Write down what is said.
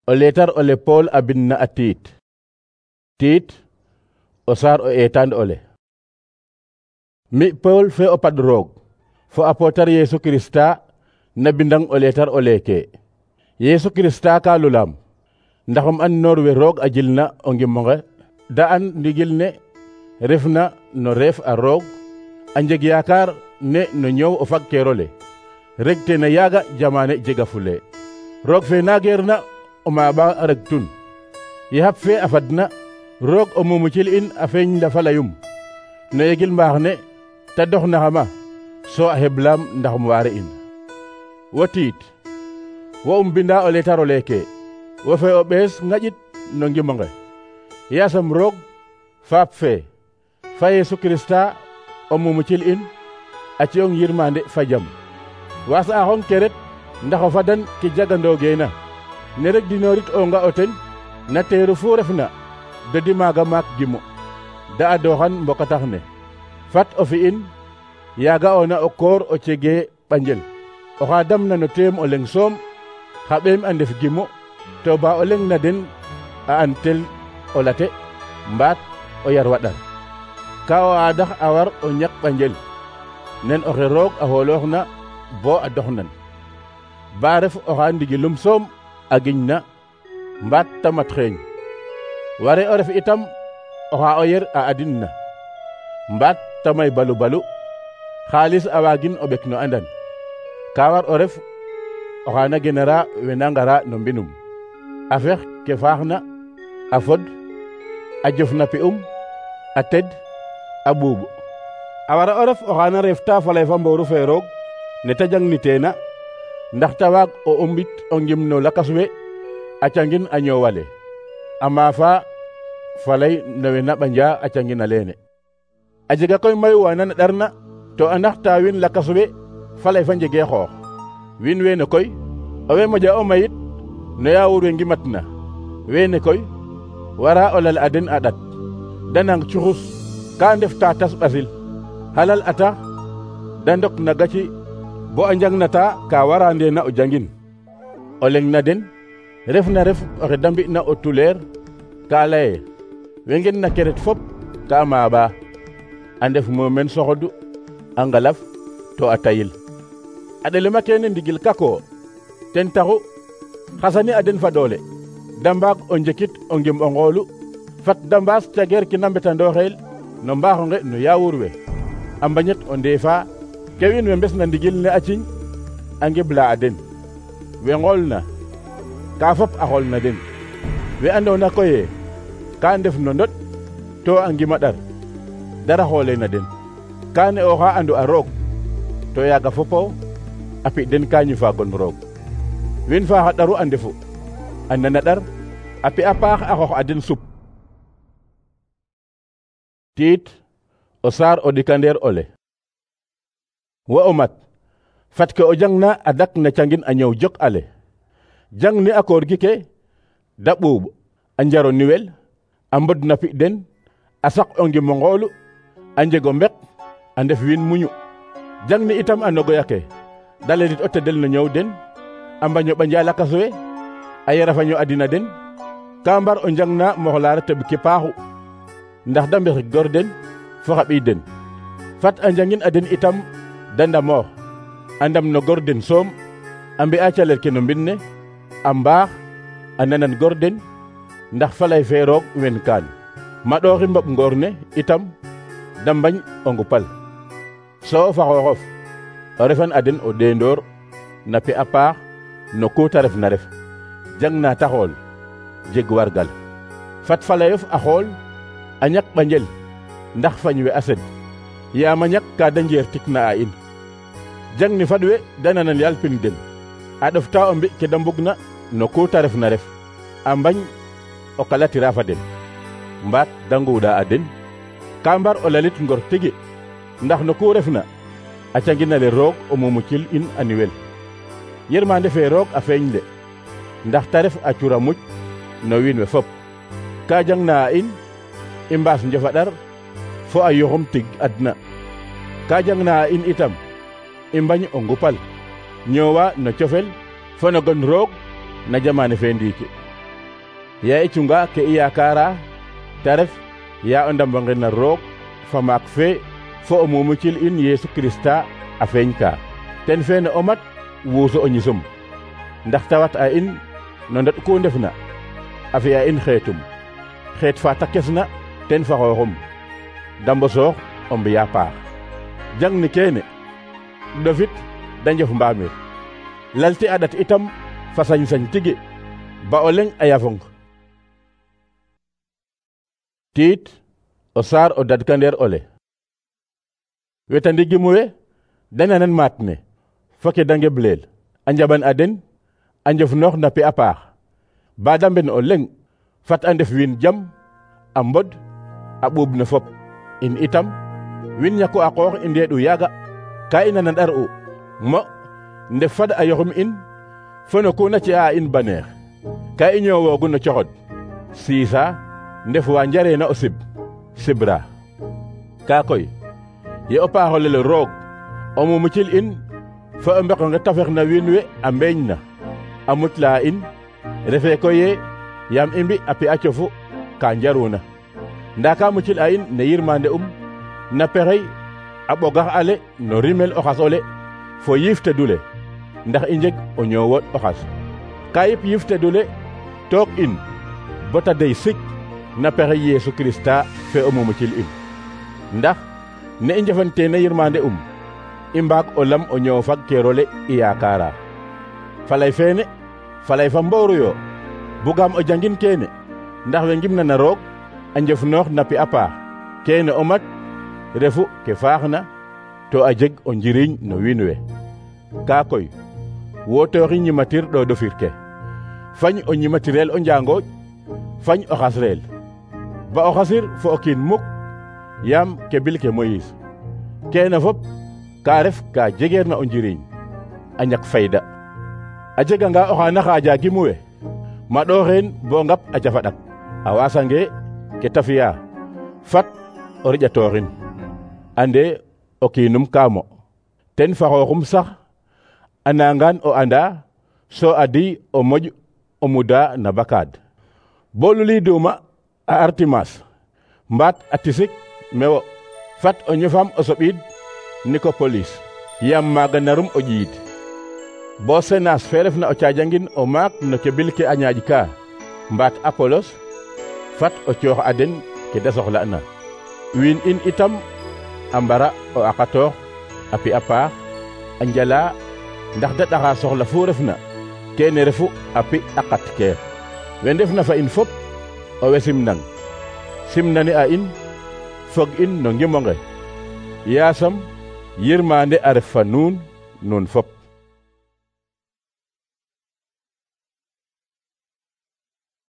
O leetar ole Paul a bind na a Tiit. Tiit o saar o eetaan ole. Mi Paul fe o pad roog fo apotar Yesu Krista na bindang o leetar o leeke. Yesu Krista ka lulam ndaxum an noor we roog a jilna o ngimonge da an ndigil ne refna no reef a roog a njeg yaakaar ne no ñoow o fagkeerole reg te na yaaga jamane jega fule. Roog fe naageerna o maaɓa reg tun ye hap fe a fadna roog o mumucil in a feeñ la falayum no yegil mbaax ne ta dox naxama so a heblaam ndaxum waare in. Wo Tiit wo binda o leetar o leeke wo fe o ɓees ŋaƴit no ngimonge yaasam roog faap fe fa Yesu Krista o mumucil in a ciyong yirmande fa jam. Waas'axong keret ndax o fadan ke jagandoogeena ne rek dinoorit o nga o ten na teeru fu refna dodi maaga maak gimu da a dooxan mbokatax ne fat o fi'in yaaga ona o koor o cegee ɓanjel oxa damna no teem o leng soom xa ɓeem a ndef gimu to ba o leng na den a an tel o late mbaat o yar waɗar ka o aadax a war o ñak ɓanjel nen oxe roog a xoolooxna bo a doxnan ba ref oxa ndigilum soom a giñna mbaat ta mat xeeñ ware o ref itam oxa o yer a adinna mbaat ta may balu balu xaalis a waagin o ɓek no andan ka war o ref oxa na genera wena ngara no mbinum a fex ke faaxna a fod a jof na pi'um a ted a ɓuuɓ a wara o ref oxa na reefta falay fa mbooru fe roog ne ta jangniteena ndax ta waag o umbit o ngim no lakas we a cangin a ñoowale a maafa falay no we na ɓanja a cangin a leene. A jega koy mayu wa na ɗarna to a naxta wiin lakas we falay fa njegee xoox wiin weene koy owe moƴa o mayit no yaawur we ngimatna weene koy wara o lal a den a ɗat da nang cuxus ka ndef ta tas ɓasil halal a tax da ndok na gaci bo a njangnata ka wara ndeena o jangin o leng na den ref na ref oxe da mbi'na o tuleer ka laye we ngen na keret fop ka maaɓa a ndef muumeen soxodu a ngalaf to a tayil a ɗelema kene ndigil kako ten taxu xasani a den fa doole da mbaag o njekit o ngim o ngoolu fat da mbaas cageer kina mbetandooxeel no mbaaxonge no yaawur we a mbañet o ndeefa ke wiin we mbes na ndigil ne a ciñ a ngebla a den we ngool na ka fop a xool na den we andoona koye ka ndef no ndot to a ngima ɗar dara xoole na den ka ne oxa andu a roog to yaaga fopo a pi den ka ñufa gon roog wiin fa xa ɗaru a ndefu a nana ɗar a pi a paax a xoox a den sup. Tiit o saar o ɗikandeer ole. Wo o mat fat ke o jangna a dak na cangin a ñëw jok ale jang ni a koor gi ke da ɓuuɓ a njaro niwel a mbod na pi den a sak o ngim o ngoolu a njego mbek a ndef wiin muñu jang ni itam a nogoya ke da ledit o tedel no ñëw den a mbaño ɓanja lakas we a yara faño adina den ka mbar o njangna moxlaar teɓ ke paaxu ndax da mbexik gor den fo xa ɓiy den fat a njangin a den itam da ndamoox a ndam no gor den soom a mbi'a calel ke no mbin ne a mbaax a nanan gor den ndax falay fe roog wen kaan maɗooxi mboɓ ngoor ne itam da mbañ o ngupal so fa xooxof o refan a den o ɗeendoor na pi a paax no ku ta ref na ref jang na ta xool jeg wargal fat falayof a xool a ñak ɓanjel ndax fañ we a sed yaam a ñak ka da njeer tik na a in jang ni fad we da nanan yaal pin den a ɗofta o mbi ke da mbugna no ku ta ref na ref a mbañ o kalatira fa den mbaat da nguuɗa a den ka mbar o lalit ngor tigi ndax no ku refna a canginale roog o mumucil in a niwel yirmande fe roog a feeñ de ndax ta ref a cura muc no wiin we fop ka jangna a in i mbaas njofaɗar fo a yoxum tig adna ka jangna a in itam i mbañ o ngupal ñoowa no cofel fo no gon roog na jamane fe ndiiki ya i cunga ke i yaakaara te ref ya o ndambo na roog fa maak fe fo o mumucil in Yesu Krista a feeñ ka ten feene o mat wuuso o ñisum ndax tawat a in no ndet ku ndefna a fi'a in xeetum xeet fa ta kesna ten fa xooxum da mbosoox o mbiya paax jang ni keene ɗofit da njof mbaamir lalti a ɗat itam fa sañ-sañ tigi ba o leŋ a yafong tiit o saar o dadkandeer ole weta ndigim we da nanan maat ne fo ke da ngebleel a njaɓan a den a njof noox na pi a paax ba da mben o leŋ fat a ndef wiin jam a mbod a ɓuub no fop in itam win ñako a qoox i ndeeɗu yaaga ka i nanan ɗar u mo ndef fad a yoxum in fo no ku na ci'a in baneex ka i ñoowoogu no coxod siisa ndef wa njareena o sib sibra ka koy ye o paaxolele roog o mumucil in fo o mbeqonge tafex na wiin we a mbeeñ na a mutla in refe koy ye yaam i mbi a pi a cofu ka njaruna nda ka mucil a in ne yirmande na pexey a ɓogax ale no rimel o xas ole fo yiif tedule ndax i njeg o ñoowooɗ o xas ka yip yiif tedule took in bota dey sik na pexey Yesu Krista fe o mumucil in ndax ne i njefantena yirmande i mbaag o lam o ñoow fag keerole i yaakaara falay feene falay fa mbooru yo bugaam o jangin keene ndax we ngimna na roog a njof noox na pi a paax keene o mat refu ke faaxna to a jeg o njiriñ no wiin we kaa koy wotooxi ñimatir ɗoɗofir ke fañ o ñimatirel o njaangooƴ fañ o xasreel ba o xasir fo o kiin muk yaam ke bil ke Moyis keene fop ka ref ka jegeer na o njiriñ a ñak fayda a jeganga oxa na xaaja gimu we ma ɗooxeen bo ngap a cafa ɗak a waasange ke ta fi'a fat o riƴatooxin ande o kiinum kaamo ten fa xooxum sax a nangaan o anda so adi o moƴ o muda na bakaad bo luliiduma a Artimas mbaat a tisik mewo fat o ñofam o soɓiid Nikopolis yaam maaga narum o ƴiid bo Senas fe refna o caajangin o maak no ke bil ke a ñaaƴ ka mbaat Apolos fat o coox a den ke da soxla'na wiin in itam a mbara o aqatoox a pi a paax a njala ndax da ɗaxa soxla fu refna kene refu a pi a qat keer we ndefna fa in fop o we simnang simnani a in fog in no ngimonge yaasam yirmande a ref fa nuun fop